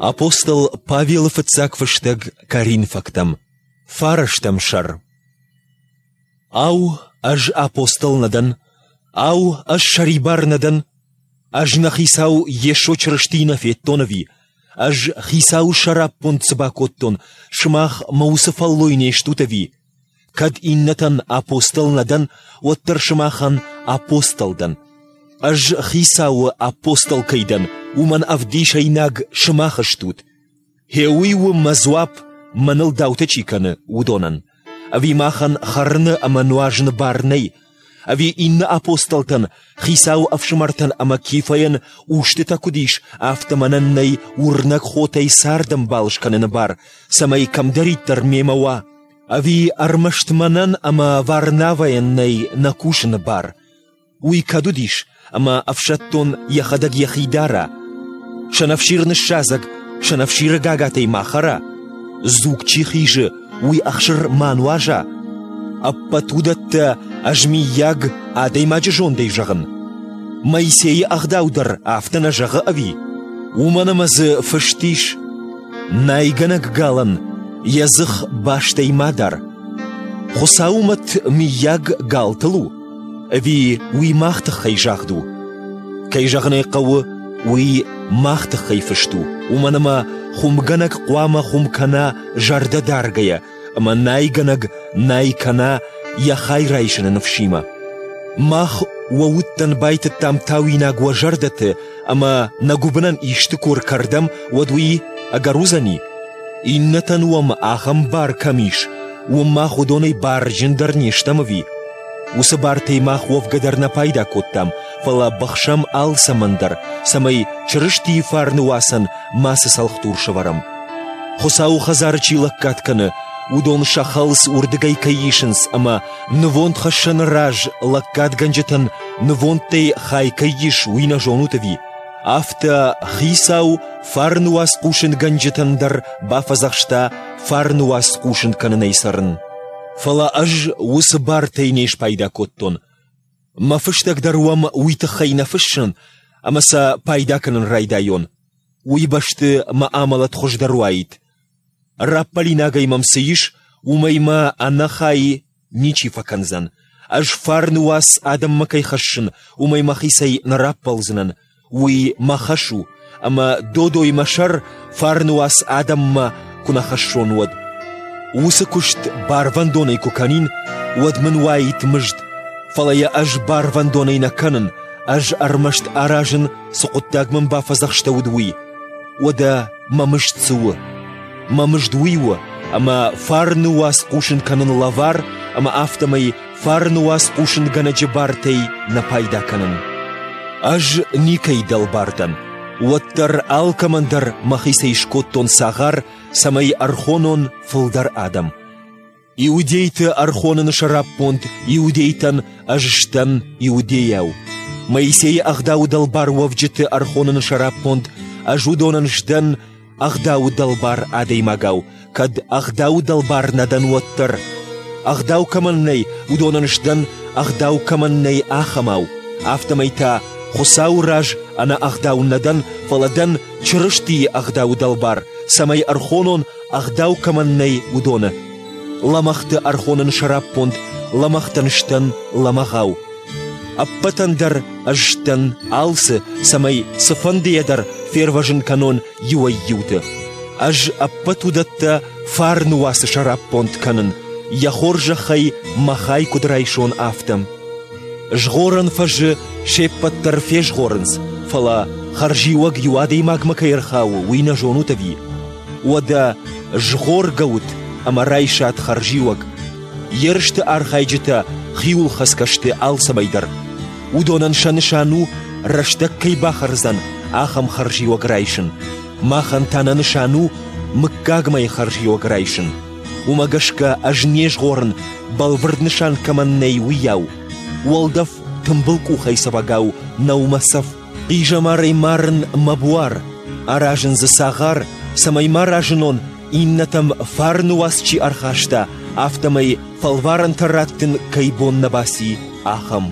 Апостол Павелы фыццаг фыстӕг Коринфӕгтӕм, фарӕстӕм сӕр. Ау, ӕз апостол нӕ дӕн? Ау, ӕз сӕрибар нӕ дӕн? Ӕз нӕ Хицау Йесо Чырыстийы нӕ федтон ӕви? Ӕз Хицауы сӕраппонд цы бакодтон, сымах мӕ уыцы фӕллой не стут ӕви? Кӕд иннӕтӕн апостол нӕ дӕн, уӕддӕр сымахӕн апостол дӕн. Ӕз Хицауы апостол кӕй дӕн, уымӕн ӕвдисӕйнаг сымах стут. Гъе уый у мӕ дзуапп, мӕныл даутӕ чи кӕны, уыдонӕн. Ӕви махӕн хӕрыны ӕмӕ нуазыны бар нӕй? Ӕви иннӕ апостолтӕн, Хицауы ӕфсымӕртӕн ӕмӕ Кифӕйӕн устытӕ куыд ис, афтӕ мӕнӕн нӕй уырнӕг хотӕй цардӕмбал скӕныны бар, цӕмӕй кӕмдӕриддӕр мемӕ уа? Ӕви ӕрмӕст мӕнӕн ӕмӕ Варнавӕйӕн нӕй нӕ кусыны бар? Уый кӕд уыдис, ӕмӕ ӕфсӕддон йӕхӕдӕг йӕхи дара? Сӕнӕфсир ныссадзӕг, сӕнӕфсиры гагатӕй ма хӕра? Дзуг чи хизы, уый ӕхсыр ма нуаза? Ӕппӕт уыдӕттӕ ӕз миййаг адӕймаджы зондӕй зӕгъын? Моисейы ӕгъдау дӕр афтӕ нӕ зӕгъы ӕви? Уымӕн ӕмӕ дзы фыст ис: Найгӕнӕг галӕн йӕ дзых бастӕй ма дар. Хуыцауы мӕт мыййаг галтыл у, ӕви уый мах тыххӕй загъд у? Кӕй зӕгъын ӕй хъӕуы, уый мах тыххӕй фыст у, уымӕн ӕмӕ хуымгӕнӕг хъуамӕ хуым кӕна зӕрдӕ даргӕйӕ, ӕмӕ найгӕнӕг най кӕна йӕ хай райсыны ныфсимӕ. Мах уӕ удтӕн байтыдтам тауинаг уӕ зӕрдӕты ӕмӕ нӕ гуыбынӕн исты куы ркӕрдӕм, уӕд уый ӕгӕр уыдзӕни? Иннӕтӕн уӕм ахӕм бар кӕм ис, уым мах уыдонӕй барджындӕр не стӕм ӕви? Уыцы бартӕй мах уӕвгӕ дӕр нӕ пайда кодтам, фӕлӕ быхсӕм алцӕмӕн дӕр, цӕмӕй Чырыстийы фарны уацӕн мацы цӕлхдур сӕвӕрӕм. Хуыцауы хӕдзары чи лӕггад кӕны, уыдон сӕ хӕлц уырдыгӕй кӕй исынц ӕмӕ нывондхӕссӕны раз лӕггадгӕнджытӕн нывондтӕй хай кӕй ис, уый нӕ зонут ӕви? Афтӕ Хицау фарны уац хъусынгӕнджытӕн дӕр бафӕдзӕхста фарны уац хъусын кӕнынӕй цӕрын. Фӕлӕ ӕз уыцы бартӕй не спайда кодтон. Мӕ фыстӕг дӕр уӕм уый тыххӕй нӕ фыссын, ӕмӕ сӕ пайда кӕнын райдайон. Уый бӕсты мӕ амӕлӕт хуыздӕр уаид. Раппӕлинагӕй мӕм цы ис, уымӕй мӕ ӕнӕхай ничи фӕкӕндзӕн. Ӕз фарны уац адӕммӕ кӕй хӕссын, уымӕй мӕхицӕй нӕ раппӕлдзынӕн. Уый мӕ хӕс у, ӕмӕ додой мӕ сӕр фарны уац адӕммӕ куы нӕ хӕссон, уӕд. Уыцы куыст барвӕндонӕй куы кӕнин, уӕд мын уаид мызд, фӕлӕ йӕ ӕз барвӕндонӕй нӕ кӕнын, ӕз ӕрмӕст аразын, цы хъуыддаг мын бафӕдзӕхстӕуыд, уый. Уӕдӕ мӕ мызд цы у? Мӕ мызд уый у, ӕмӕ фарны уац хъусын кӕнын лӕвар ӕмӕ афтӕмӕй фарны уац хъусынгӕнӕджы бартӕй нӕ пайда кӕнын. Ӕз никӕй дӕлбар дӕн, уӕддӕр алкӕмӕн дӕр мӕхицӕй скодтон цагъар, цӕмӕй ӕрхонон фылдӕр адӕм. Иудейты ӕрхоныны сӕраппонд иудейтӕн ӕз сдӕн иудейау. Моисейы ӕгъдауы дӕлбар уӕвджыты ӕрхоныны сӕраппонд ӕз уыдонӕн сдӕн ӕгъдауы дӕлбар адӕймагау, кӕд ӕгъдауы дӕлбар нӕ дӕн, уӕддӕр. Ӕгъдау кӕмӕн нӕй, уыдонӕн сдӕн, ӕгъдау кӕмӕн нӕй, ахӕмау. Афтӕмӕй та Хуыцауы раз ӕнӕ ӕгъдау нӕ дӕн, фӕлӕ дӕн Чырыстийы ӕгъдауы дӕлбар, цӕмӕй ӕрхонон, ӕгъдау кӕмӕн нӕй, уыдоны. Лӕмӕгъты ӕрхоныны сӕраппонд лӕмӕгътӕн сдӕн лӕмӕгъау. Ӕппӕтӕн дӕр ӕз сдӕн алцы, цӕмӕй цыфӕндыйӕ дӕр фервӕзын кӕнон иуӕй-иуты. Ӕз ӕппӕт уыдӕттӕ фарны уацы сӕраппонд кӕнын, йӕ хорзӕхӕй мӕ хай куыд райсон, афтӕ. Згъорӕн фӕзы се ппӕт дӕр фезгъорынц, фӕлӕ хӕрзиуӕг иу адӕймагмӕ кӕй ӕрхауы, уый нӕ зонут ӕви? Уӕдӕ згъоргӕ ут ӕмӕ райсат хӕрзиуӕг. Ерысты архайджытӕ хиуылхӕцгӕ сты алцӕмӕй дӕр. Уыдонӕн сӕ нысан у, рӕстӕг кӕй бахӕрдзӕн, ахӕм хӕрзиуӕг райсын. Махӕн та нӕ нысан у мыггагмӕйы хӕрзиуӕг райсын. Уымӕ гӕсгӕ ӕз не згъорын, бӕлвырд нысан кӕмӕн нӕй, уыйау. Уӕлдӕф тымбыл къухӕй цӕвӕгау нӕу мӕ цӕф. Хъизӕмарӕй марын мӕ буар, аразын дзы цагъар, цӕмӕй ма разынон, иннӕтӕм фарны уац чи ӕрхаста, афтӕмӕй фӕлварӕнтӕ раттын кӕй бон нӕ баци, ахӕм.